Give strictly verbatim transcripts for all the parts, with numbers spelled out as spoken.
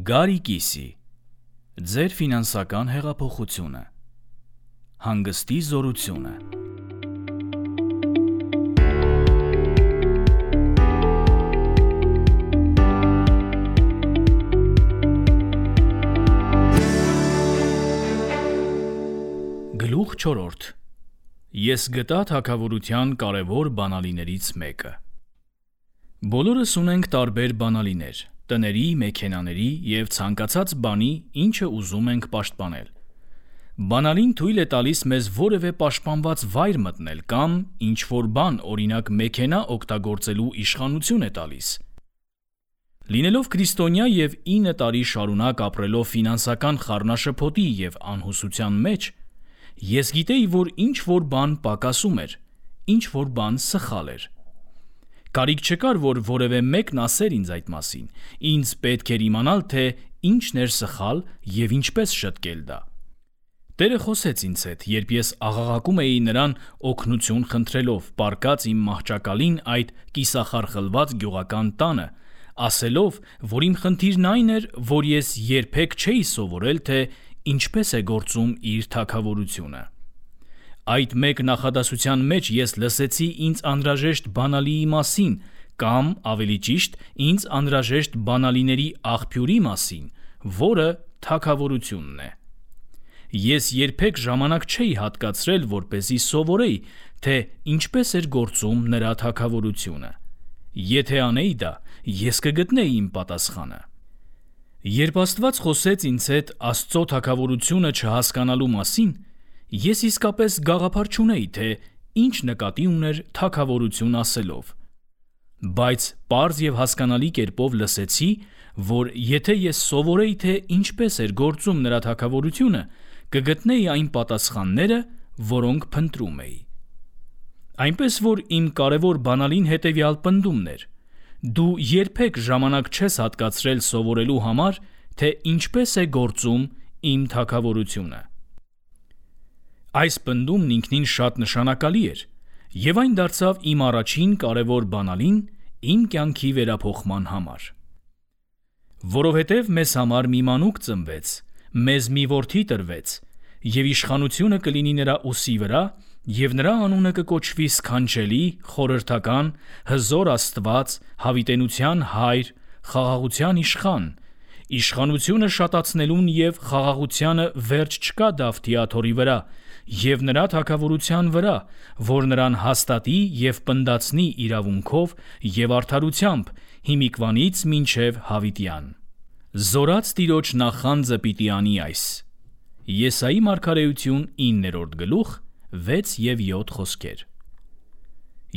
Գարի Կիսի Ձեր ֆինանսական հեղափոխությունը Հանգստի զորությունը Գլուխ չորրորդ Ես գտա թագավորության կարևոր բանալիներից մեկը։ Բոլորս ունենք տարբեր բանալիներ, տների, մեքենաների և ցանկացած բանի, ինչը ուզում ենք պաշտպանել։ Բանալին թույլ է տալիս մեզ որևէ պաշտպանված վայր մտնել կամ ինչ-որ բան, օրինակ մեքենա օգտագործելու իշխանություն է տալիս։ Լինելով քրիստոնյա և ինը տարի շարունակ ապրելով ֆինանսական խառնաշփոթի և անհուսության մեջ, ես գիտեի, որ ինչ-որ բան պակասում էր, ինչ-որ բան սխալ էր։ Կարիք չկար, որ որևէ մեկն ասեր ինձ այդ մասին, ինձ պետք էր իմանալ, թե ինչն էր սխալ և ինչպես շտկել դա։ Տերը խոսեց ինձ հետ, երբ ես աղաղակում էի նրան օգնություն խնդրելով, պառկած իմ մահճակալին այդ կիսախարխլված գյուղական տանը, ասելով, որ իմ խնդիրն այն էր, որ ես երբեք չէի սովորել, թե ինչպես է գործում իր թագավորությունը։ Այդ մեկ նախադասության մեջ ես լսեցի ինձ անհրաժեշտ բանալիի մասին, կամ, ավելի ճիշտ, ինձ անհրաժեշտ բանալիների աղբյուրի մասին, որը թագավորությունն է։ Ես երբեք ժամանակ չէի հատկացրել, որպեսզի սովորեի, թե ինչպես էր գործում նրա թագավորությունը։ Եթե անեի դա, ես կգտնեի իմ պատասխանը։ Երբ Աստված խոսեց ինձ հետ Աստծո թագավորությունը չհասկանալու մասին, ես իսկապես գաղափար չունեի, թե ինչ նկատի ուներ թագավորություն ասելով։ Բայց պարզ և հասկանալի կերպով լսեցի, որ եթե ես սովորեի, թե ինչպես էր գործում նրա թագավորությունը, կգտնեի այն պատասխանները, որոնք փնտրում էի։ Այնպես որ իմ կարևոր բանալին հետևյալ պնդումն էր. դու երբեք ժամանակ չես հատկացրել սովորելու համար, թե ինչպես է գործում իմ թագավորությունը։ Այս պնդումն ինքնին շատ նշանակալի էր, և այն դարձավ իմ առաջին կարևոր բանալին իմ կյանքի վերափոխման համար։ Որովհետև մեզ համար մի մանուկ ծնվեց, մեզ մի որդի տրվեց, և իշխանությունը կլինի նրա ուսի վրա, և նրա անունը կկոչվի սքանչելի, խորհրդական, հզոր Աստված, հավիտենության Հայր, խաղաղության իշխան, իշխանությունը շատացնելուն և խաղաղությանը վերջ չկա Դավթի աթոռի վրա, և նրա թագավորության վրա, որ նրան հաստատի և պնդացնի իրավունքով և արդարությամբ հիմիկվանից մինչև հավիտյան։ Զորաց Տիրոջ նախանձը պիտի անի այս։ Եսայի մարգարեություն իններորդ գլուխ վեց և յոթ խոսքեր։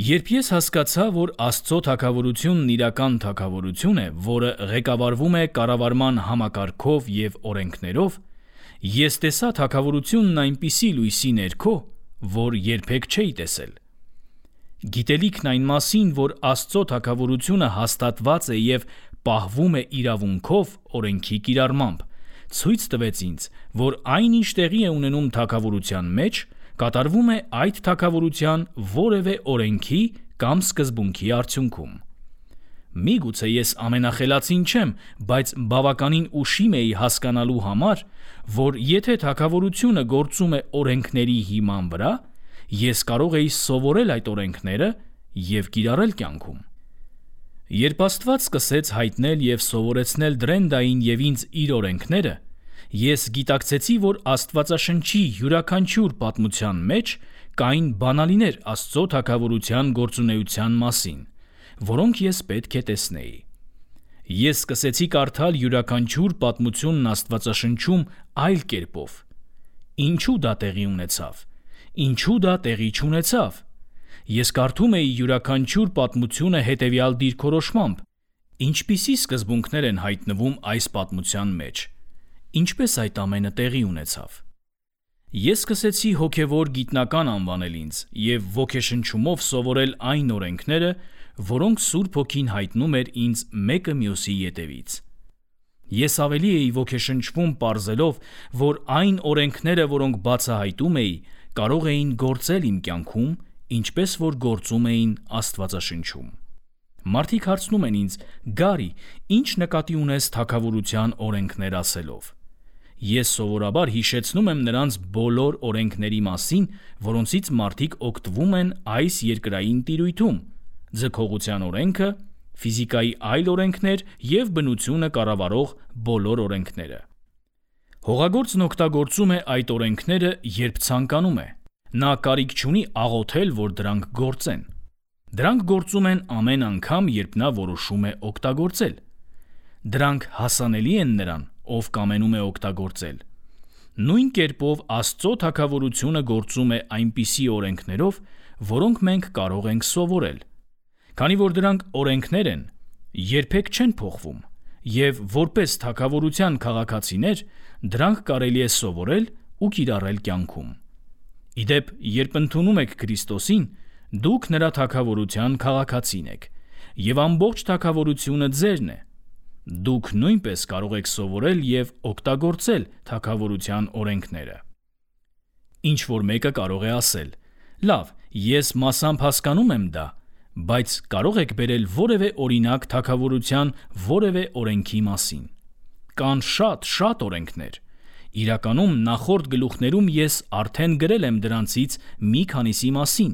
Երբ ես հասկացա, որ Աստծո թագավորությունն իրական թագավորություն է, որը ղեկավարվում է կառավարման համակարգով և օրենքներով, ես տեսա թագավորությունն այնպիսի լույսի ներքո, որ երբեք չէի տեսել։ Գիտելիքն այն մասին, որ Աստծո թագավորությունը հաստատված է և պահվում է իրավունքով, օրենքի կիրառմամբ, ցույց տվեց ինձ, որ այն, ինչ տեղի է ունենում թագավորության մեջ, կատարվում է այդ թագավորության որևէ օրենքի կամ սկզբունքի արդյունքում։ Միգուցե ես ամենախելացին չեմ, բայց բավականին ուշիմ էի հասկանալու համար, որ եթե թագավորությունը գործում է օրենքների հիման վրա, ես կարող էի սովորել այդ օրենքները և կիրառել կյանքում։ Երբ Աստված սկսեց հայտնել և սովորեցնել Դրենդային և ինձ իր օրենքները, ես գիտակցեցի, որ Աստվածաշնչի յուրաքանչյուր պատմության մեջ կային բանալիներ Աստծո թագավորության գործունեության մասին, որոնք ես պետք է տեսնեի։ Ես սկսեցի կարդալ յուրաքանչյուր պատմությունն Աստվածաշնչում այլ կերպով։ Ինչու դա տեղի ունեցավ։ Ինչու դա տեղի չունեցավ։ Ես կարդում էի յուրաքանչյուր պատմությունը հետևյալ դիրքորոշմամբ. ինչպիսի սկզբունքներ են հայտնվում այս պատմության մեջ։ Ինչպես այդ ամենը տեղի ունեցավ։ Ես սկսեցի հոգևոր գիտնական անվանել ինձ և ոգեշնչումով սովորել այն օրենքները, որոնք Սուրբ Հոգին հայտնում էր ինձ մեկը մյուսի ետևից։ Ես ավելի էի ոգեշնչվում պարզելով, որ այն օրենքները, որոնք բացահայտում էի, կարող էին գործել իմ կյանքում, ինչպես որ գործում էին Աստվածաշնչում։ Մարդիկ հարցնում են ինձ. «Գարի, ի՞նչ նկատի ունես թագավորության օրենքներ ասելով»։ Ես սովորաբար հիշեցնում եմ նրանց բոլոր օրենքների մասին, որոնցից մարդիկ օգտվում են այս երկրային տիրույթում՝ ձգողության օրենքը, ֆիզիկայի այլ օրենքներ և բնությունը կառավարող բոլոր օրենքները։ Հողագործն օգտագործում է այդ օրենքները, երբ ցանկանում է։ Նա կարիք չունի աղոթել, որ դրանք գործեն։ Դրանք գործում են ամեն անգամ, երբ նա որոշում է օգտագործել։ Դրանք հասանելի են նրան, ով կամենում է օգտագործել։ Նույն կերպով Աստծո թագավորությունը գործում է այնպիսի օրենքներով, որոնք մենք կարող ենք սովորել։ Քանի որ դրանք օրենքներ են, երբեք չեն փոխվում, և որպես թագավորության քաղաքացիներ դրանք կարելի է սովորել ու կիրառել կյանքում։ Ի դեպ, երբ ընդունում եք Քրիստոսին, դուք նրա թագավորության քաղաքացին եք, և ամբողջ թագավորությունը ձերն է։ Դուք նույնպես կարող եք սովորել և օգտագործել թագավորության օրենքները։ Ինչ-որ մեկը կարող է ասել. «Լավ, ես մասամբ հասկանում եմ դա, բայց կարո՞ղ եք բերել որևէ օրինակ թագավորության որևէ օրենքի մասին»։ Կան շատ, շատ օրենքներ։ Իրականում նախորդ գլուխներում ես արդեն գրել եմ դրանցից մի քանիսի մասին,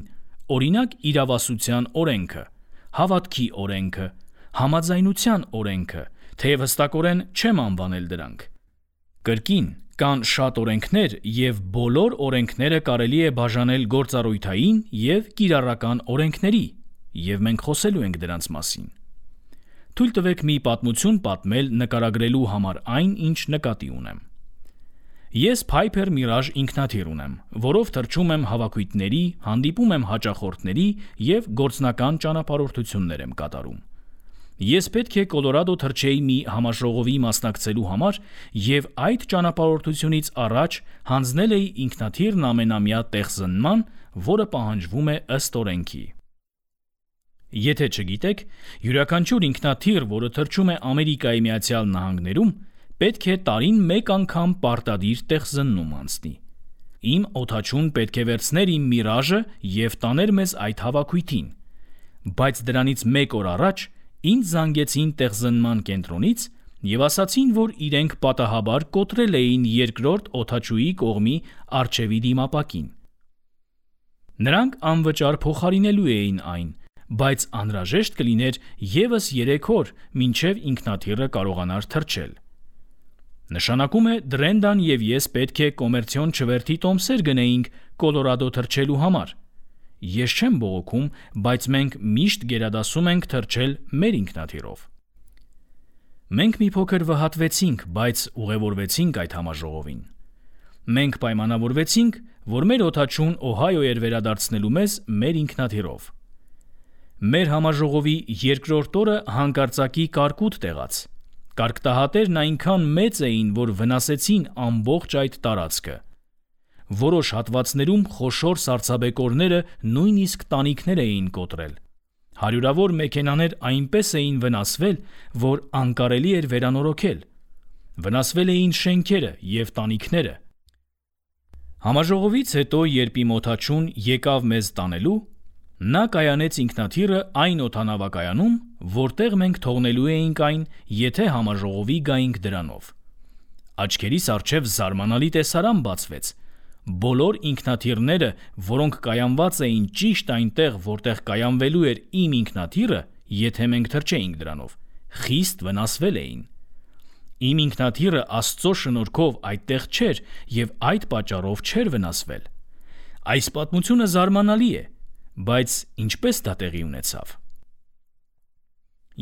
օրինակ՝ իրավասության օրենքը, հավատքի օրենքը, համաձայնության օրենքը, թեև հստակորեն չեմ անվանել դրանք։ Կրկին, կան շատ օրենքներ, և բոլոր օրենքները կարելի է բաժանել գործառույթային և կիրառական օրենքների, և մենք խոսելու ենք դրանց մասին։ Թույլ տվեք մի պատմություն պատմել նկարագրելու համար այն, ինչ նկատի ունեմ։ Ես Piper Mirage ինքնաթիռ ունեմ, որով թռչում եմ հավաքույթների, հանդիպում եմ հաճախորդների և գործնական ճանապարհորդություններ եմ կատարում։ Ես պետք է Կոլորադո թռչեի մի համաժողովի մասնակցելու համար և այդ ճանապարհորդությունից առաջ հանձնել էի ինքնաթիռն ամենամյա տեղզնման, որը պահանջվում է ըստ օրենքի։ Եթե չգիտեք, յուրաքանչյուր ինքնաթիռ, որը թռչում է Ամերիկայի Միացյալ Նահանգներում, պետք է տարին մեկ անգամ պարտադիր տեղզննում անցնի։ Իմ օդաչուն պետք է վերցներ իմ Mirage-ը և տաներ մեզ այդ հավաքույթին, բայց դրանից մեկ օր առաջ ինձ զանգեցին տեղզնման կենտրոնից և ասացին, որ իրենք պատահաբար կոտրել էին երկրորդ օդաչուի կողմի առջևի դիմապակին։ Նրանք անվճար փոխարինելու էին այն, բայց անհրաժեշտ կլիներ ևս երեք օր, մինչև ինքնաթիռը կարողանար թռչել։ Նշանակում է Դրենդան և ես պետք է կոմերցիոն չվերթի տոմսեր գնեինք Կոլորադո թռչելու համար։ Ես չեմ բողոքում, բայց մենք միշտ գերադասում ենք թռչել մեր ինքնաթիռով։ Մենք մի փոքր վհատվեցինք, բայց ուղևորվեցինք այդ համաժողովին։ Մենք պայմանավորվեցինք, որ մեր օդաչուն Օհայո էր վերադարձնելու մեզ մեր ինքնաթիռով։ Մեր համաժողովի երկրորդ օրը հանկարծակի կարկուտ տեղաց։ Կարկտահատերն այնքան մեծ էին, որ վնասեցին ամբողջ այդ տարածքը։ Որոշ հատվածներում խոշոր սառցաբեկորները նույնիսկ տանիքներ էին կոտրել։ Հարյուրավոր մեքենաներ այնպես էին վնասվել, որ անկարելի էր վերանորոգել։ Վնասվել էին շենքերը և տանիքները։ Համաժողովից հետո, երբ իմ օդաչուն եկավ մեզ տանելու, նա կայանեց ինքնաթիռը այն օդանավակայանում, որտեղ մենք թողնելու էինք այն, եթե համաժողովի գայինք դրանով։ Աչքերիս առջև զարմանալի տեսարան բացվեց։ Բոլոր ինքնաթիռները, որոնք կայանված էին ճիշտ այնտեղ, որտեղ կայանվելու էր իմ ինքնաթիռը, եթե մենք թռչեինք դրանով, խիստ վնասվել էին։ Իմ ինքնաթիռը Աստծո շնորհքով այդտեղ չէր և այդ պատճառով չէր վնասվել։ Այս պատմությունը զարմանալի է, բայց ինչպես դա տեղի ունեցավ։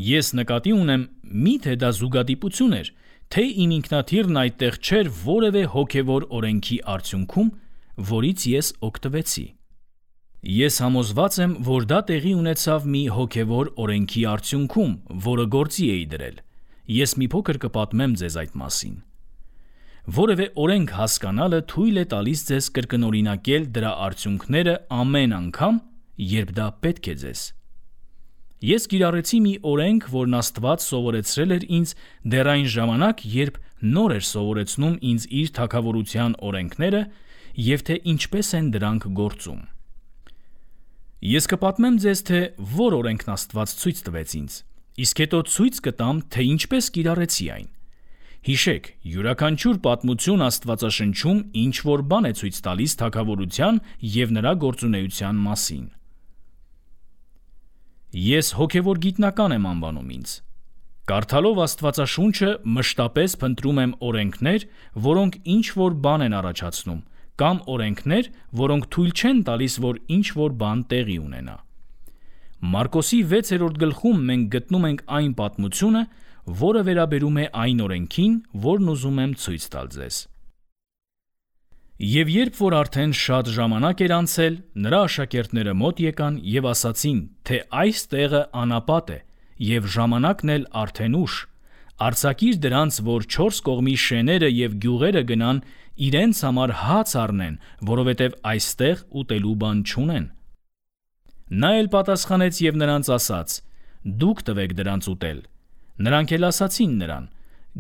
Ես նկատի ունեմ, միթե դա զուգադիպություն էր, թե իմ ինքնաթիռն այդտեղ չէր որևէ հոգևոր օրենքի արդյունքում, որից ես օգտվեցի։ Ես համոզված եմ, որ դա տեղի ունեցավ մի հոգևոր օրենքի արդյունքում, որը գործի էի դրել։ Ես մի փոքր կպատմեմ ձեզ այդ մասին։ Որևէ օրենք հասկանալը թույլ է տալիս ձեզ կրկնօրինակել դրա արդյունքները ամեն անգամ, երբ դա պետք է ձեզ։ Ես կիրառեցի մի օրենք, որն Աստված սովորեցրել էր ինձ դեռ այն ժամանակ, երբ նոր էր սովորեցնում ինձ իր թագավորության օրենքները և թե ինչպես են դրանք գործում։ Ես կպատմեմ ձեզ, թե որ օրենքն Աստված ցույց տվեց ինձ, իսկ հետո ցույց կտամ, թե ինչպես կիրառեցի այն։ Հիշեք, յուրաքանչյուր պատմություն Աստվածաշնչում ինչ-որ բան է ցույց տալիս թագավորության և նրա գործունեության մասին։ Ես հոգևոր գիտնական եմ անվանում ինձ։ Կարդալով Աստվածաշունչը մշտապես փնտրում եմ օրենքներ, որոնք ինչ-որ բան են առաջացնում, կամ օրենքներ, որոնք թույլ չեն տալիս, որ ինչ-որ բան տեղի ունենա։ Մարկոսի վեցերորդ գլխում մենք գտնում ենք այն պատմությունը, որը վերաբերում է այն օրենքին, որն ուզում եմ ցույց տալ ձեզ։ Եվ երբ որ արդեն շատ ժամանակ էր անցել, նրա աշակերտները մոտ եկան և ասացին, թե այս տեղը անապատ է, և ժամանակն էլ արդեն ուշ, արձակիր դրանց, որ չորս կողմի շեները և գյուղերը գնան իրենց համար հաց առնեն, որովհետև այստեղ ուտելու բան չունեն։ Նա էլ պատասխանեց և նրանց ասաց. «Դուք տվեք դրանց ուտել»։ Նրանք էլ ասացին նրան.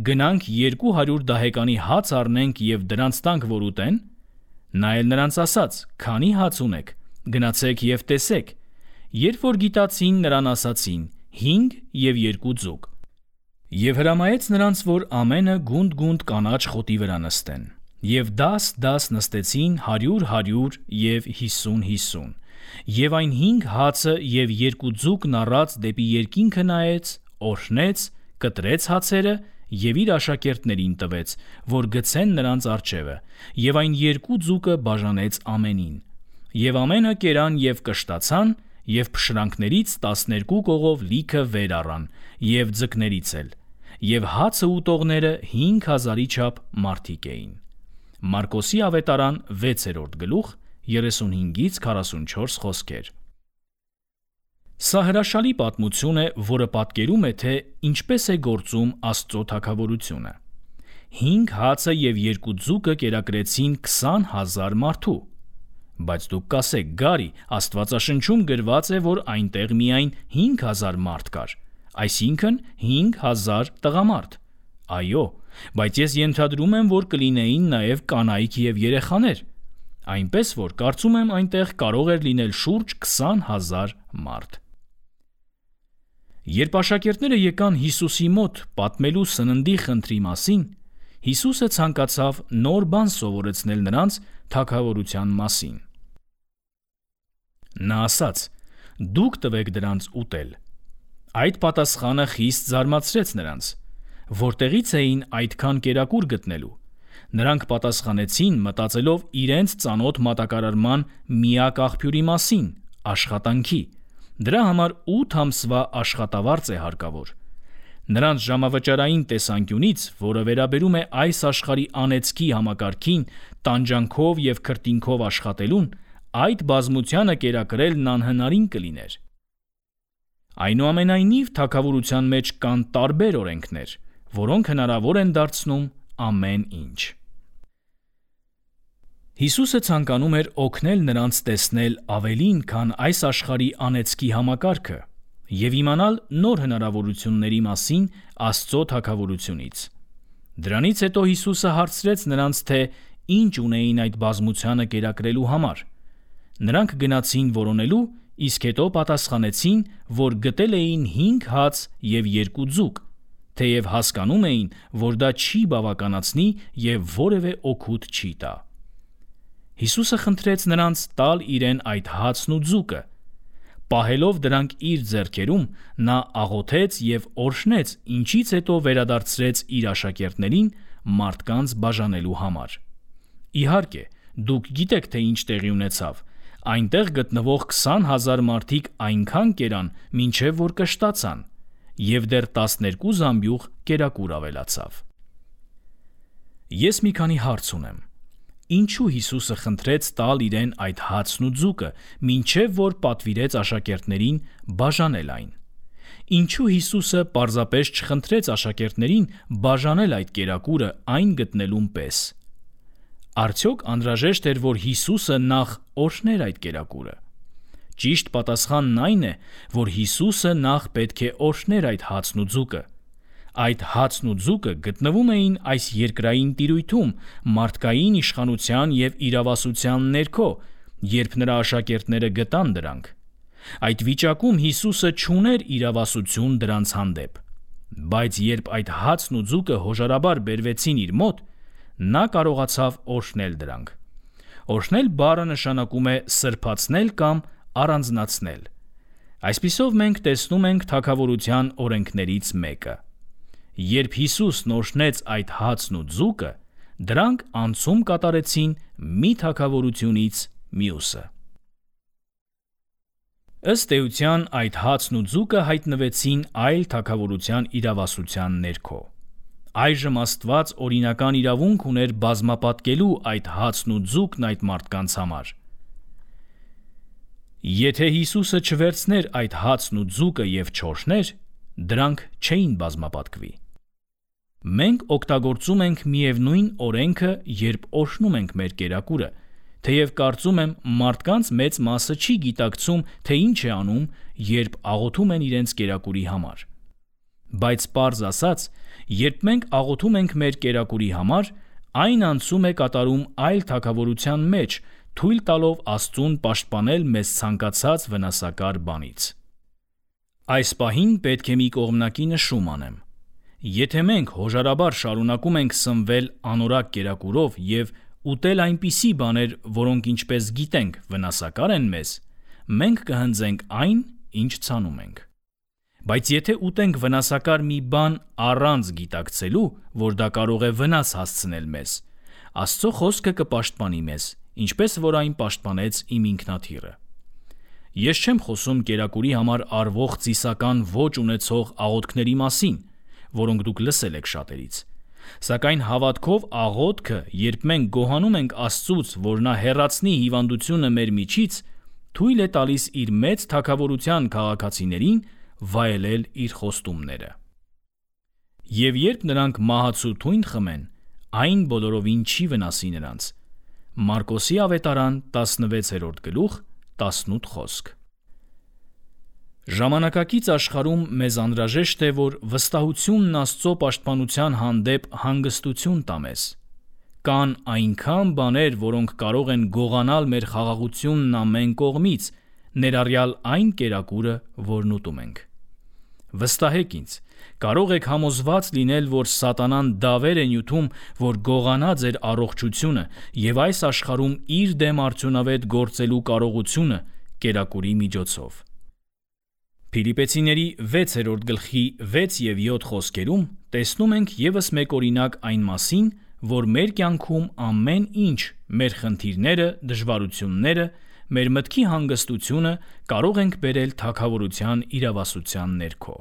«Գնանք երկու հարյուր դահեկանի հաց առնենք և դրանց տանք, որ ուտեն»։ Նա էլ նրանց ասաց. «Քանի՞ հաց ունեք, գնացեք և տեսեք»։ Երբ որ գիտացին, նրան ասացին. «Հինգ և երկու ձուկ»։ Եվ հրամայեց նրանց, որ ամենը գունդ-գունդ կանաչ խոտի վրա նստեն։ Եվ դաս-դաս նստեցին հարյուր-հարյուր և հիսուն-հիսուն։ Եվ այն հինգ հացը և երկու ձուկն առած դեպի երկինքը նայեց, օրհնեց, կտրեց հացերը և իր աշակերտներին տվեց, որ գցեն նրանց առջևը, և այն երկու ձուկը բաժանեց ամենին։ Եվ ամենը կերան և կշտացան, և փշրանքներից տասներկու կողով լիքը վեր առան, և ձկներից էլ, և հացը ուտողները հինգ հազարի չափ մարդիկ էին։ Մարկոսի ավետարան վեցերորդ գլուխ երեսունհինգից քառասունչորս խոսքեր։ Սա հրաշալի պատմություն է, որը պատկերում է, թե ինչպես է գործում Աստծո թագավորությունը։ Հինգ հացը և երկու ձուկը կերակրեցին քսան հազար մարդու։ Բայց դուք կասեք. «Գարի, Աստվածաշնչում գրված է, որ այնտեղ միայն հինգ հազար մարդ կար, այսինքն հինգ հազար տղամարդ»։ Այո, բայց ես ենթադրում եմ, որ կլինեին նաև կանայք և երեխաներ, այնպես որ կարծում եմ այնտեղ կարող էր լինել շուրջ քսան հազար մարդ։ Երբ աշակերտները եկան Հիսուսի մոտ պատմելու սննդի խնդրի մասին, Հիսուսը ցանկացավ նոր բան սովորեցնել նրանց թագավորության մասին։ Նա ասաց. «Դուք տվեք դրանց ուտել»։ Այդ պատասխանը խիստ զարմացրեց նրանց։ Որտեղի՞ց էին այդքան կերակուր գտնելու։ Նրանք պատասխանեցին, մտածելով իրենց ծանոթ մատակարարման միակ աղբյուրի մասին՝ աշխատանքի։ Դրա համար ութ ամսվա աշխատավարձ է հարկավոր։ Նրանց ժամավճարային տեսանկյունից, որը վերաբերում է այս աշխարհի անեծքի համակարգին, տանջանքով և քրտինքով աշխատելուն, այդ բազմությանը կերակրելն անհնարին կլիներ։ Այնուամենայնիվ, թագավորության մեջ կան տարբեր օրենքներ, որոնք հնարավոր են դարձնում ամեն ինչ։ Հիսուսը ցանկանում էր օգնել նրանց տեսնել ավելին, քան այս աշխարհի անեծքի համակարգը, և իմանալ նոր հնարավորությունների մասին Աստծո թագավորությունից։ Դրանից հետո Հիսուսը հարցրեց նրանց, թե ինչ ունեին այդ բազմությանը կերակրելու համար։ Նրանք գնացին որոնելու, իսկ հետո պատասխանեցին, որ գտել էին հինգ հաց և երկու ձուկ, թեև հասկանում էին, որ դա չի բավականացնի և որևէ օգուտ չի տա։ Հիսուսը խնդրեց նրանց տալ իրեն այդ հացն ու ձուկը։ Պահելով դրանք իր ձեռքերում, նա աղոթեց և օրհնեց, ինչից հետո վերադարձրեց իր աշակերտներին մարդկանց բաժանելու համար։ Իհարկե, դուք գիտեք, թե ինչ տեղի ունեցավ։ Այնտեղ գտնվող քսան հազար մարդիկ այնքան կերան, մինչև որ կշտացան, և դեռ տասներկու զամբյուղ կերակուր ավելացավ։ Ես մի քանի հարց ունեմ։ Ինչու Հիսուսը խնդրեց տալ իրեն այդ հացն ու ձուկը, մինչև որ պատվիրեց աշակերտներին բաժանել այն։ Ինչու Հիսուսը պարզապես չխնդրեց աշակերտներին բաժանել այդ կերակուրը այն գտնելուն պես։ Արդյոք անհրաժեշտ էր, որ Հիսուսը նախ օրհներ այդ կերակուրը։ Ճիշտ պատասխանն այն է, որ Հիսուսը նախ պետք է օրհներ այդ հացն ու ձուկը։ Այդ հացն ու ձուկը գտնվում էին այս երկրային տիրույթում, մարդկային իշխանության և իրավասության ներքո, երբ նրա աշակերտները գտան դրանք, Այդ վիճակում Հիսուսը չուներ իրավասություն դրանց հանդեպ, բայց երբ այդ հացն ու ձուկը հոժարաբար բերվեցին իր մոտ, նա կարողացավ օրհնել դրանք։ Օրհնել բառը նշանակում է սրբացնել կամ առանձնացնել։ Այսպիսով մենք տեսնում ենք թագավորության օրենքներից մեկը։ Երբ Հիսուսն օրհնեց այդ հացն ու ձուկը, դրանք անցում կատարեցին մի թագավորությունից մյուսը։ Ըստ էության այդ հացն ու ձուկը հայտնվեցին այլ թագավորության իրավասության ներքո։ Այժմ Աստված օրինական իրավունք ուներ բազմապատկելու այդ հացն ու ձուկն այդ մարդկանց համար։ Եթե Հիսուսը չվերցներ այդ հացն ու ձուկը և չօրհներ, դրանք չէին բազմապատկվի։ Մենք օգտագործում ենք միևնույն օրենքը, երբ օրհնում ենք մեր կերակուրը, թեև կարծում եմ մարդկանց մեծ մասը չի գիտակցում, թե ինչ է անում, երբ աղոթում են իրենց կերակուրի համար։ Բայց պարզ ասած, երբ մենք աղոթում ենք մեր կերակուրի համար, այն անցում է կատարում այլ թագավորության մեջ, թույլ տալով Աստծուն պաշտպանել մեզ ցանկացած վնասակար բանից։ Այս պահին պետք է մի կողմնակի նշում անեմ։ Եթե մենք հոժարաբար շարունակում ենք սնվել անորակ կերակուրով և ուտել այնպիսի բաներ, որոնք ինչպես գիտենք վնասակար են մեզ, մենք կհնձենք այն, ինչ ցանում ենք։ Բայց եթե ուտենք վնասակար մի բան առանց գիտակցելու, որ դա կարող է վնաս հասցնել մեզ, Աստծո խոսքը կպաշտպանի մեզ, ինչպես որ այն պաշտպանեց իմ ինքնաթիռը։ Ես չեմ խոսում կերակուրի համար արվող ծիսական ոճ ունեցող աղոթքների մասին, որոնք դուք լսել եք շատերից։ Սակայն հավատքով աղոթքը, երբ մենք գոհանում ենք Աստծուց, որ նա հեռացնի հիվանդությունը մեր միջից, թույլ է տալիս իր մեծ թագավորության քաղաքացիներին վայելել իր խոստումները։ Եվ երբ նրանք մահացու թույն խմեն, այն բոլորովին չի վնասի նրանց։ Մարկոսի ավետարան տասնվեցերորդ գլուխ տասնութ խոսք։ Ժամանակակից աշխարհում մեզ անհրաժեշտ է, որ վստահությունն Աստծո պաշտպանության հանդեպ հանգստություն տա մեզ։ Կան այնքան բաներ, որոնք կարող են գողանալ մեր խաղաղությունն ամեն կողմից, ներառյալ այն կերակուրը, որն ուտում ենք։ Վստահեք ինձ, կարող եք համոզված լինել, որ սատանան դավեր է նյութում, որ գողանա ձեր առողջությունը և այս աշխարհում իր դեմ արդյունավետ գործելու կարողությունը կերակուրի միջոցով։ Փիլիպպեցիների վեցերորդ գլխի վեց և յոթ խոսքերում տեսնում ենք ևս մեկ օրինակ այն մասին, որ մեր կյանքում ամեն ինչ, մեր խնդիրները, դժվարությունները, մեր մտքի հանգստությունը կարող ենք բերել թագավորության իրավասության ներքո։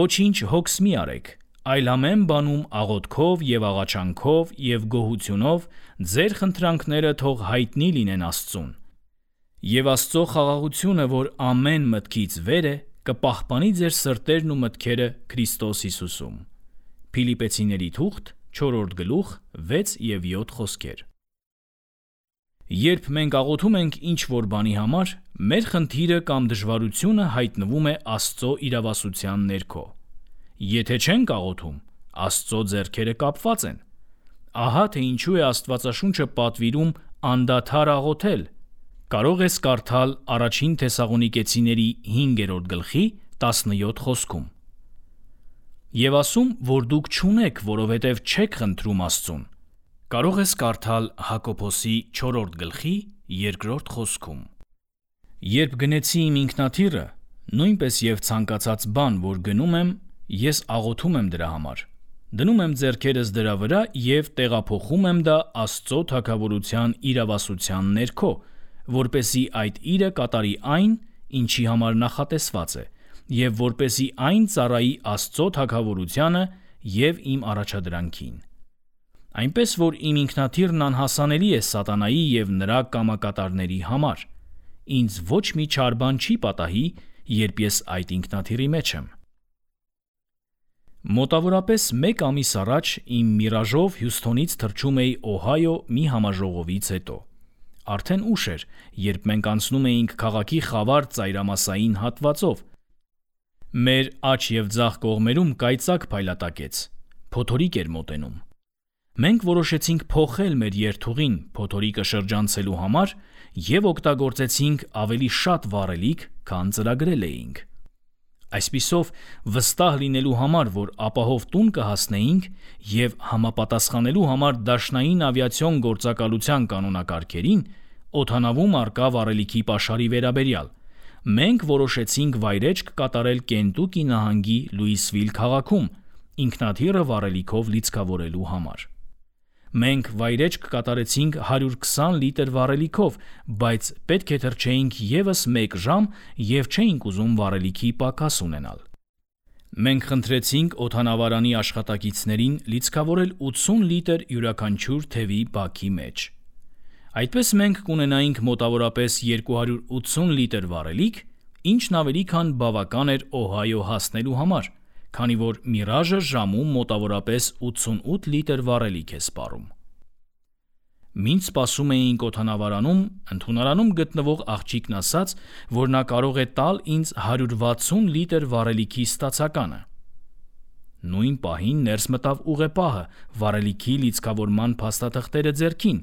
Ոչինչ հոգս մի արեք, այլ ամեն բանում աղոթքով և աղաչանքով և գոհությունով ձեր խնդրանքները թող հայտնի լինեն Աստծուն։ Եվ Աստծո խաղաղությունը, որ ամեն մտքից վեր է, կպահպանի ձեր սրտերն ու մտքերը Քրիստոս Հիսուսում։ Փիլիպպեցիների թուղթ, չորրորդ գլուխ, վեց և յոթ խոսքեր։ Երբ մենք աղոթում ենք ինչ-որ բանի համար, մեր խնդիրը կամ դժվարությունը հայտնվում է Աստծո իրավասության ներքո։ Եթե չենք աղոթում, Աստծո ձեռքերը կապված են։ Ահա թե ինչու է Աստվածաշունչը պատվիրում անդադար աղոթել։ Կարող ես կարդալ առաջին Թեսաղոնիկեցիների հինգերորդ գլխի տասնյոթ խոսքում։ Եվ ասում, որ դուք չունեք, որովհետև չեք խնդրում Աստծուն։ Կարող ես կարդալ Հակոբոսի չորրորդ գլխի երկրորդ խոսքում։ Երբ գնեցի իմ ինքնաթիռը, նույնպես և ցանկացած բան, որ գնում եմ, ես աղոթում եմ դրա համար։ Դնում եմ ձեռքերս դրա վրա և տեղափոխում եմ դա Աստծո թագավորության իրավասության ներքո, որպեսզի այդ իրը կատարի այն, ինչի համար նախատեսված է, և որպեսզի այն ծառայի Աստծո թագավորությանը և իմ առաջադրանքին։ Այնպես որ իմ ինքնաթիռն անհասանելի է սատանայի և նրա կամակատարների համար։ Ինձ ոչ մի չար բան չի պատահի, երբ ես այդ ինքնաթիռի մեջ եմ։ Մոտավորապես մեկ ամիս առաջ իմ Միրաժով Հյուսթոնից թռչում էի Օհայո մի համաժողովից հետո։ Արդեն ուշ էր, երբ մենք անցնում էինք քաղաքի խավար ծայրամասային հատվածով։ Մեր աջ և ձախ կողմերում կայծակ փայլատակեց, փոթորիկ էր մոտենում։ Մենք որոշեցինք փոխել մեր երթուղին փոթորիկը շրջանցելու համար և օգտագործեցինք ավելի շատ վառելիք, քան ծրագրել էինք։ Այսպիսով, վստահ լինելու համար, որ ապահով տուն կհասնեինք և համապատասխանելու համար դաշնային ավիացիոն գործակալության կանոնակարգերին, օդանավում առկա վառելիքի պաշարի վերաբերյալ, մենք որոշեցինք վայրէջք կատարել Կենտուկի նահանգի Լուիսվիլ քաղաքում ինքնաթիռը վառելիքով լիցքավորելու համար։ Մենք վայրէջք կատարեցինք հարյուր քսան լիտր վառելիքով, բայց պետք է թռչեինք ևս մեկ ժամ և չէինք ուզում վառելիքի պակաս ունենալ։ Մենք խնդրեցինք օդանավարանի աշխատակիցներին լիցքավորել ութսուն լիտր յուրաքանչյուր թևի բաքի մեջ։ Այդպես մենք կունենայինք մոտավորապես երկու հարյուր ութսուն լիտր վառելիք, ինչն ավելի քան բավական էր Օհայո հասնելու համար, քանի որ Միրաժը ժամում մոտավորապես ութսունութ լիտր վառելիք է սպառում։ Մինչ սպասում էինք օդանավարանում, ընդունարանում գտնվող աղջիկն ասաց, որ նա կարող է տալ ինձ հարյուր վաթսուն լիտր վառելիքի ստացականը։ Նույն պահին ներս մտավ ուղեպահը վառելիքի լիցքավորման փաստաթղթերը ձեռքին։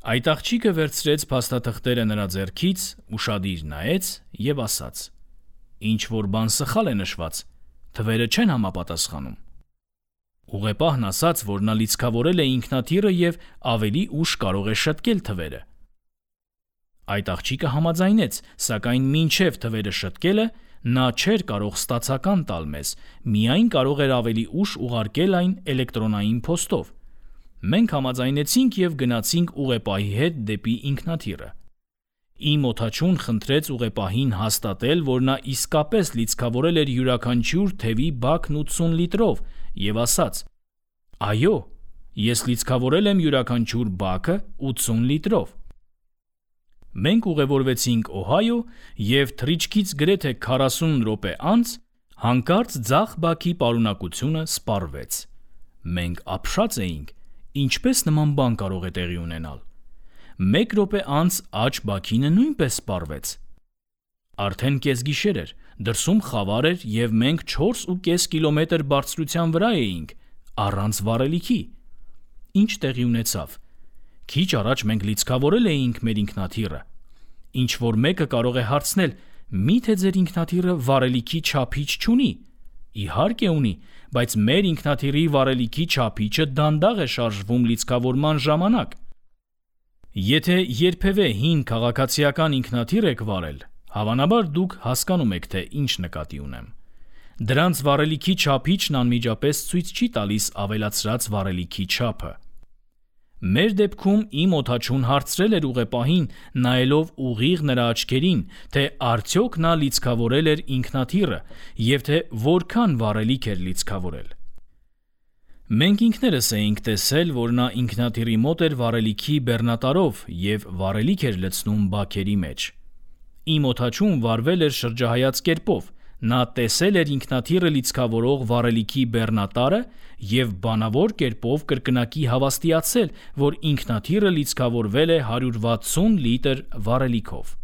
Այդ աղջիկը վերցրեց փաստաթղթերը նրա ձեռքից, ուշադիր նայեց և ասաց. «Ինչ-որ բան սխալ է նշված, թվերը չեն համապատասխանում»։ Ուղեպահն ասաց, որ նա լիցքավորել է ինքնաթիռը և ավելի ուշ կարող է շտկել թվերը։ Այդ աղջիկը համաձայնեց, սակայն մինչև թվերը շտկելը նա չէր կարող ստացական տալ մեզ, միայն կարող էր ավելի ուշ ուղարկել այն էլեկտրոնային փոստով։ Մենք համաձայնեցինք և գնացինք ուղեպահի հետ դեպի ինքնաթիռը։ Իմ օդաչուն խնդրեց ուղեպահին հաստատել, որ նա իսկապես լիցքավորել էր յուրաքանչյուր թևի բաքն ութսուն լիտրով և ասաց. «Այո, ես լիցքավորել եմ յուրաքանչյուր բաքը ութսուն լիտրով»։ Մենք ուղևորվեցինք Օհայո և թռիչքից գրեթե քառասուն րոպե անց հանկարծ ձախ բաքի պարունակությունը սպառվեց։ Մենք ապշած էինք, ինչպես նման բան կարող է տեղի ունենալ։ Մեկ րոպե անց աջ բաքինը նույնպես սպառվեց։ Արդեն կեսգիշեր էր, դրսում խավար էր և մենք չորս ու կես կիլոմետր բարձրության վրա էինք, առանց վառելիքի։ Ինչ տեղի ունեցավ։ Քիչ առաջ մենք լիցքավորել էինք մեր ինքնաթիռը։ Ինչ-որ մեկը կարող է հարցնել. «Միթե ձեր ինքնաթիռը վառելիքի չափիչ չունի»։ Իհարկե ունի, բայց մեր ինքնաթիռի վառելիքի չափիչը դանդաղ է շարժվում լիցքավորման ժամանակ։ Եթե երբևէ հին քաղաքացիական ինքնաթիռ եք վարել, հավանաբար դուք հասկանում եք, թե ինչ նկատի ունեմ։ Դրանց վառելիքի չափիչն անմիջապես ցույց չի տալիս ավելացրած վառելիքի չափը։ Մեր դեպքում իմ օդաչուն հարցրել էր ուղեպահին, նայելով ուղիղ նրա աչքերին, թե արդյոք նա լիցքավորել էր ինքնաթիռը և թե որքան վառելիք էր լիցքավորել։ Մենք ինքներս էինք տեսել, որ նա ինքնաթիռի մոտ էր վառելիքի բեռնատարով և վառելիք էր լցնում բաքերի մեջ։ Իմ օդաչուն վարվել էր շրջահայաց կերպով, նա տեսել էր ինքնաթիռը լիցքավորող վառելիքի բեռնատարը և բանավոր կերպով կրկնակի հավաստիացել, որ ինքնաթիռը լիցքավորվել է հարյուր վաթսուն լիտր վառելիքով։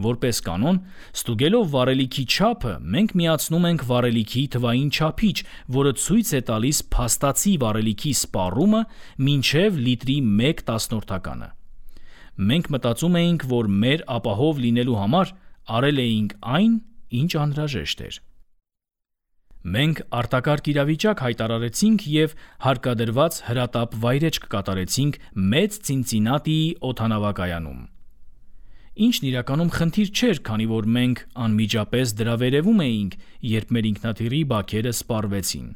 Որպես կանոն, ստուգելով վառելիքի չափը, մենք միացնում ենք վառելիքի թվային չափիչ, որը ցույց է տալիս փաստացի վառելիքի սպառումը մինչև լիտրի մեկ տասնորդականը։ Մենք մտածում էինք, որ մեր ապահով լինելու համար արել էինք այն, ինչ անհրաժեշտ էր։ Մենք արտակարգ իրավիճակ հայտարարեցինք և հարկադրված հրատապ վայրէջք կատարեցինք Մեծ Ցինցինատիի օդանավակայանում։ Ինչն իրականում խնդիր չէր, քանի որ մենք անմիջապես դրա վերևում էինք, երբ մեր ինքնաթիռի բաքերը սպառվեցին։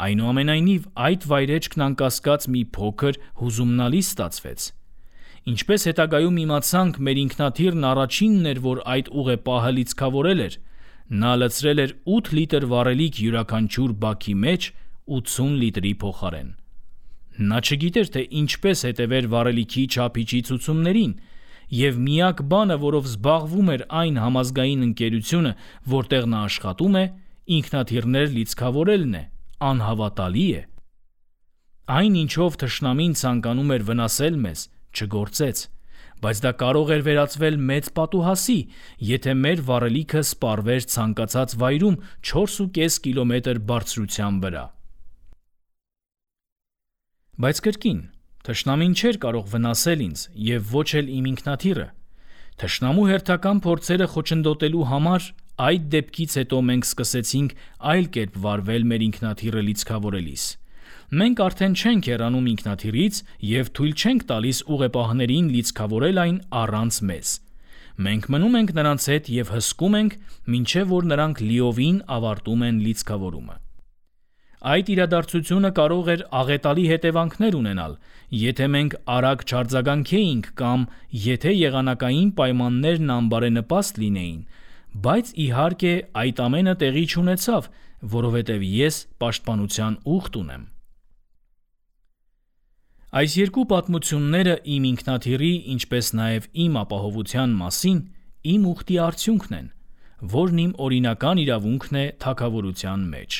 Այնուամենայնիվ, այդ վայրէջքն անկասկած մի փոքր հուզումնալի ստացվեց։ Ինչպես հետագայում իմացանք, մեր ինքնաթիռն առաջինն էր, որ այդ ուղեպահը լիցքավորել էր։ Նա լցրել էր ութ լիտր վառելիք յուրաքանչյուր բաքի մեջ ութսուն լիտրի փոխարեն։ Նա չգիտեր, թե ինչպես հետևեր վառելիքի չափիչի ցուցումներին, և միակ բանը, որով զբաղվում էր այն համազգային ընկերությունը, որտեղ նա աշխատում է, ինքնաթիռներ լիցքավորելն է, անհավատալի է։ Այն, ինչով թշնամին ցանկանում էր վնասել մեզ, չգործեց, բայց դա կարող էր վերածվել մեծ պատուհասի, եթե մեր վառելիքը սպառվեր ցանկացած վայրում չորս ու կես կիլոմետր բարձրության վրա։ Բայց կրկին, թշնամին չէր կարող վնասել ինձ և ոչ էլ իմ ինքնաթիռը։ Թշնամու հերթական փորձերը խոչընդոտելու համար այդ դեպքից հետո մենք սկսեցինք այլ կերպ վարվել մեր ինքնաթիռը լիցքավորելիս։ Մենք արդեն չենք հեռանում ինքնաթիռից և թույլ չենք տալիս ուղեպահներին լիցքավորել այն առանց մեզ։ Մենք մնում ենք նրանց հետ և հսկում ենք, մինչև որ նրանք լիովին ավարտում են լիցքավորումը։ Այդ իրադարձությունը կարող էր աղետալի հետևանքներ ունենալ, եթե մենք արագ չարձագանքեինք կամ եթե եղանակային պայմաններն անբարենպաստ լինեին, բայց իհարկե այդ ամենը տեղի չունեցավ, որովհետև ես պաշտպանության ուխտ ունեմ։ Այս երկու պատմությունները իմ ինքնաթիռի, ինչպես նաև իմ ապահովության մասին իմ ուխտի արդյունքն են, որն իմ օրինական իրավունքն է թագավորության մեջ։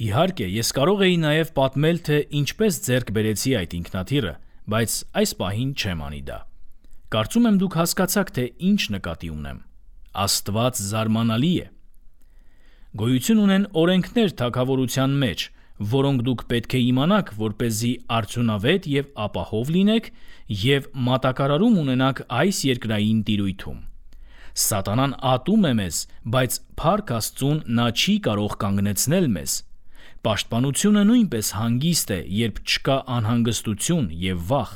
Իհարկե, ես կարող էի նաև պատմել, թե ինչպես ձեռք բերեցի այդ ինքնաթիռը, բայց այս պահին չեմ անի դա։ Կարծում եմ դուք հասկացաք, թե ինչ նկատի ունեմ։ Աստված զարմանալի է։ Գոյություն ունեն օրենքներ թագավորության մեջ, որոնք դուք պետք է իմանաք, որպեսզի արդյունավետ և ապահով լինեք և մատակարարում ունենաք այս երկրային տիրույթում։ Սատանան ատում է մեզ, բայց փառք Աստծուն, նա չի կարող կանգնեցնել մեզ։ Պաշտպանությունը նույնպես հանգիստ է, երբ չկա անհանգստություն և վախ։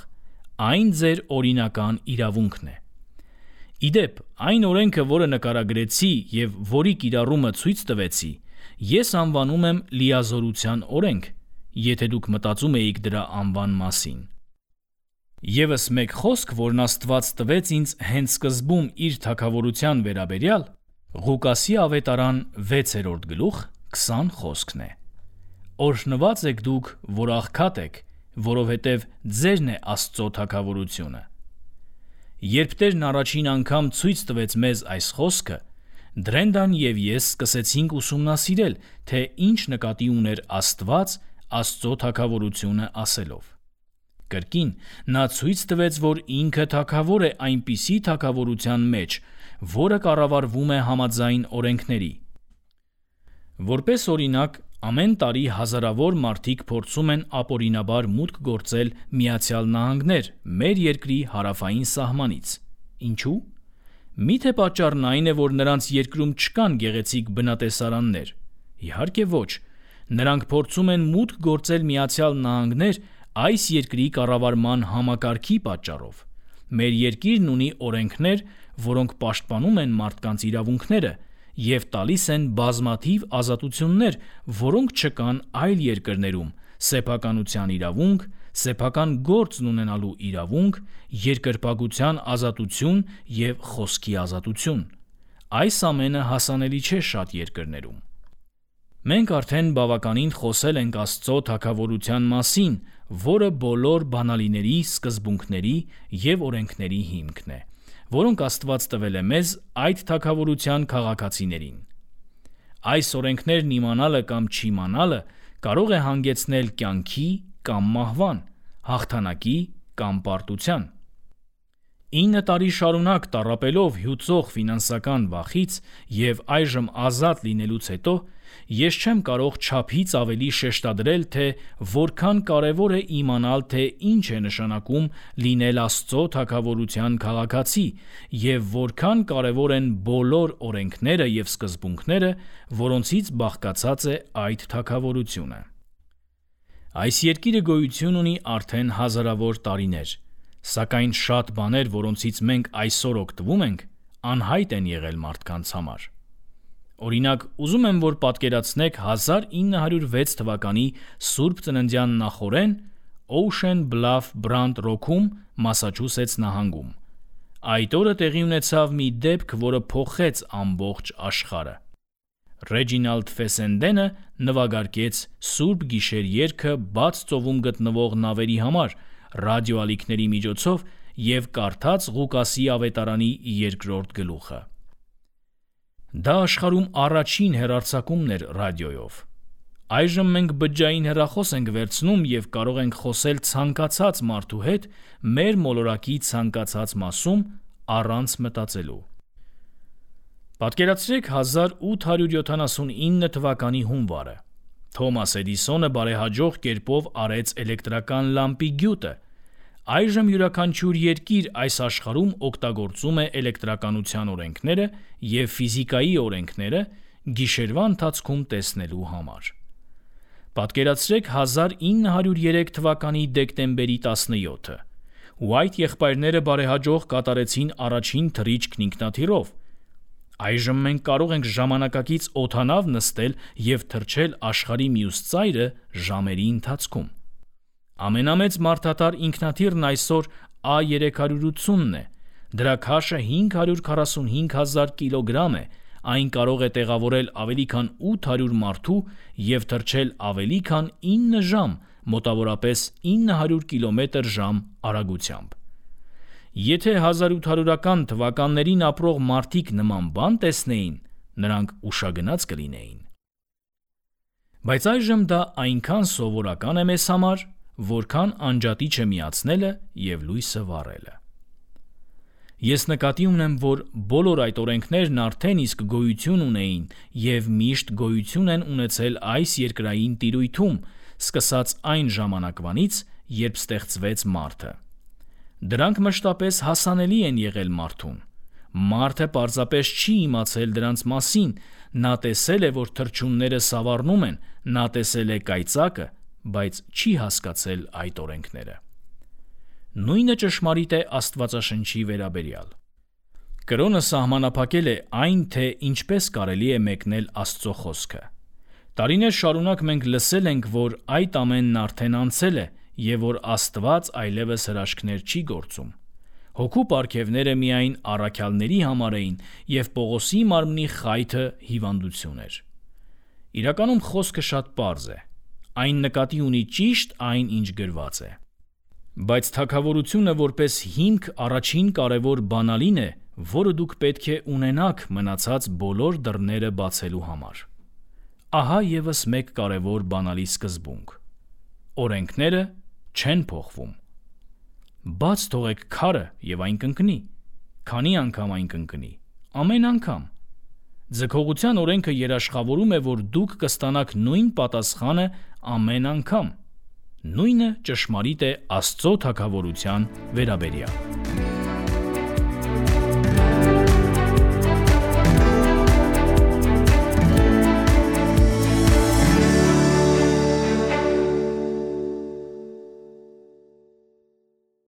Այն ձեր օրինական իրավունքն է։ Ի դեպ, այն օրենքը, որը նկարագրեցի և որի կիրառումը ցույց տվեցի, ես անվանում եմ լիազորության օրենք, եթե դուք մտածում էիք դրա անվան մասին։ Եվս մեկ խոսք, որն Աստված տվեց ինձ հենց սկզբում իր թագավորության վերաբերյալ, Ղուկասի ավետարան վեցերորդ գլուխ քսան խոսքն է. «Օրհնված եք դուք, որ աղքատ եք, որովհետև ձերն է Աստծո թագավորությունը»։ Երբ Տերն առաջին անգամ ցույց տվեց մեզ այս խոսքը, Դրենդան և ես սկսեցինք ուսումնասիրել, թե ինչ նկատի ուներ Աստված Աստծո թագավորությունը ասելով։ Կրկին, նա ցույց տվեց, որ ինքը թագավոր է այնպիսի թագավորության մեջ, որը կառավարվում է համաձայն օրենքների։ Որպես օրինակ, ամեն տարի հազարավոր մարդիկ փորձում են ապօրինաբար մուտք գործել Միացյալ Նահանգներ, մեր երկրի հարավային սահմանից։ Ինչու՞։ Միթե պատճառն այն է, որ նրանց երկրում չկան գեղեցիկ բնատեսարաններ։ Իհարկե ոչ։ Նրանք փորձում են մուտք գործել Միացյալ Նահանգներ այս երկրի կառավարման համակարգի պատճառով։ Մեր երկիրն ունի օրենքներ, որոնք պաշտպանում են մարդկանց իրավունքները և տալիս են բազմաթիվ ազատություններ, որոնք չկան այլ երկրներում՝ սեփականության իրավունք, սեփական գործն ունենալու իրավունք, երկրպագության ազատություն և խոսքի ազատություն։ Այս ամենը հասանելի չէ շատ երկրներում։ Մենք արդեն բավականին խոսել ենք Աստծո թագավորության մասին, որը բոլոր բանալիների, սկզբունքների և օրենքների հիմքն է, որոնք Աստված տվել է մեզ այդ թագավորության քաղաքացիներին։ Այս օրենքներն իմանալը կամ չիմանալը կարող է հանգեցնել կյանքի կամ մահվան, հաղթանակի կամ պարտության։ Ինը տարի շարունակ տառապելով հյուծող ֆինանսական վախից և այժմ ազատ լինելուց հետո, ես չեմ կարող չափից ավելի շեշտադրել, թե որքան կարևոր է իմանալ, թե ինչ է նշանակում լինել Աստծո թագավորության քաղաքացի և որքան կարևոր են բոլոր օրենքները և սկզբունքները, որոնցից բաղկացած է այդ թագավորությունը։ Այս երկիրը գոյություն ունի արդեն հազարավոր տարիներ, սակայն շատ բաներ, որոնցից մենք այսօր օգտվում ենք, անհայտ են եղել մարդկանց համար։ Օրինակ, ուզում եմ, որ պատկերացնեք հազար ինը հարյուր վեց թվականի Սուրբ Ծննդյան նախօրեն Ocean Bluff Brant Rock-ում, Մասաչուսեթս նահանգում։ Այդ օրը տեղի ունեցավ մի դեպք, որը փոխեց ամբողջ աշխարհը։ Ռեջինալդ Ֆեսենդենը նվագարկեց Սուրբ Գիշեր երգը բաց ծովում գտնվող նավերի համար ռադիոալիքների միջոցով և կարդաց Ղուկասի ավետարանի երկրորդ գլուխը։ Դա աշխարհում առաջին հեռարձակումն էր ռադիոյով։ Այժմ մենք բջջային հեռախոս ենք վերցնում և կարող ենք խոսել ցանկացած մարդու հետ մեր մոլորակի ցանկացած մասում առանց մտածելու։ Պատկերացրեք հազար ութ հարյուր յոթանասունինը թվականի հունվարը։ Թոմաս Էդիսոնը բարեհաջող կերպով արեց էլեկտրական լամպի գյուտը։ Այժմ յուրաքանչյուր երկիր այս աշխարհում օգտագործում է էլեկտրականության օրենքները և ֆիզիկայի օրենքները գիշերվա ընթացքում տեսնելու համար։ Պատկերացրեք հազար ինը հարյուր երեք թվականի դեկտեմբերի տասնյոթը։ Ուայթ եղբայրները բարեհաջող կատարեցին առաջին թռիչքն ինքնաթիռով։ Այժմ մենք կարող ենք ժամանակակից օդանավ նստել և թռչել աշխարհի մյուս ծայրը ժամերի ընթացքում։ Ամենամեծ մարդատար ինքնաթիռն այսօր Ա երեք հարյուր ութսունն է։ Դրա քաշը հինգ հարյուր քառասունհինգ հազար կիլոգրամ է։ Այն կարող է տեղավորել ավելի քան ութ հարյուր մարդու և թռչել ավելի քան ինը ժամ, մոտավորապես ինը հարյուր կիլոմետր ժամ արագությամբ։ Եթե հազար ութ հարյուրական թվականներին ապրող մարդիկ նման բան տեսնեին, նրանք ուշագնաց կլինեին։ Բայց այժմ դա այնքան սովորական է մեզ համար, որքան անջատիչը միացնելը և լույսը վառելը։ Ես նկատի ունեմ, որ բոլոր այդ օրենքներն արդեն իսկ գոյություն ունեին և միշտ գոյություն են ունեցել այս երկրային տիրույթում, սկսած այն ժամանակվանից, երբ ստեղծվեց մարդը։ Դրանք մշտապես հասանելի են եղել մարդուն։ Մարդը պարզապես չի իմացել դրանց մասին, նա տեսել է, որ թռչունները սավառնում են, նա տեսել է կայծակը, բայց չի հասկացել այդ օրենքները։ Նույնը ճշմարիտ է Աստվածաշնչի վերաբերյալ։ Կրոնը սահմանափակել է այն, թե ինչպես կարելի է մեկնել Աստծո խոսքը։ Տարիներ շարունակ մենք լսել ենք, որ այդ ամենն արդեն անցել է և որ Աստված այլևս հրաշքներ չի գործում։ Հոգու պարգևները միայն առաքյալների համար էին, և Պողոսի մարմնի խայթը հիվանդություն էր։ Իրականում խոսքը շատ պարզ է։ Այն նկատի ունի ճիշտ այն, ինչ գրված է։ Բայց թագավորությունը որպես հիմք առաջին կարևոր բանալին է, որը դուք պետք է ունենաք մնացած բոլոր դռները բացելու համար։ Ահա ևս մեկ կարևոր բանալի սկզբունք։ Օրենքները չեն փոխվում։ Բաց թողեք քարը և այն կընկնի։ Քանի անգամ այն կընկնի։ Ամեն անգամ։ Ձգողության օրենքը երաշխավորում է, որ դուք կստանաք նույն պատասխանը ամեն անգամ։ Նույնը ճշմարիտ է Աստծո թագավորության վերաբերյալ։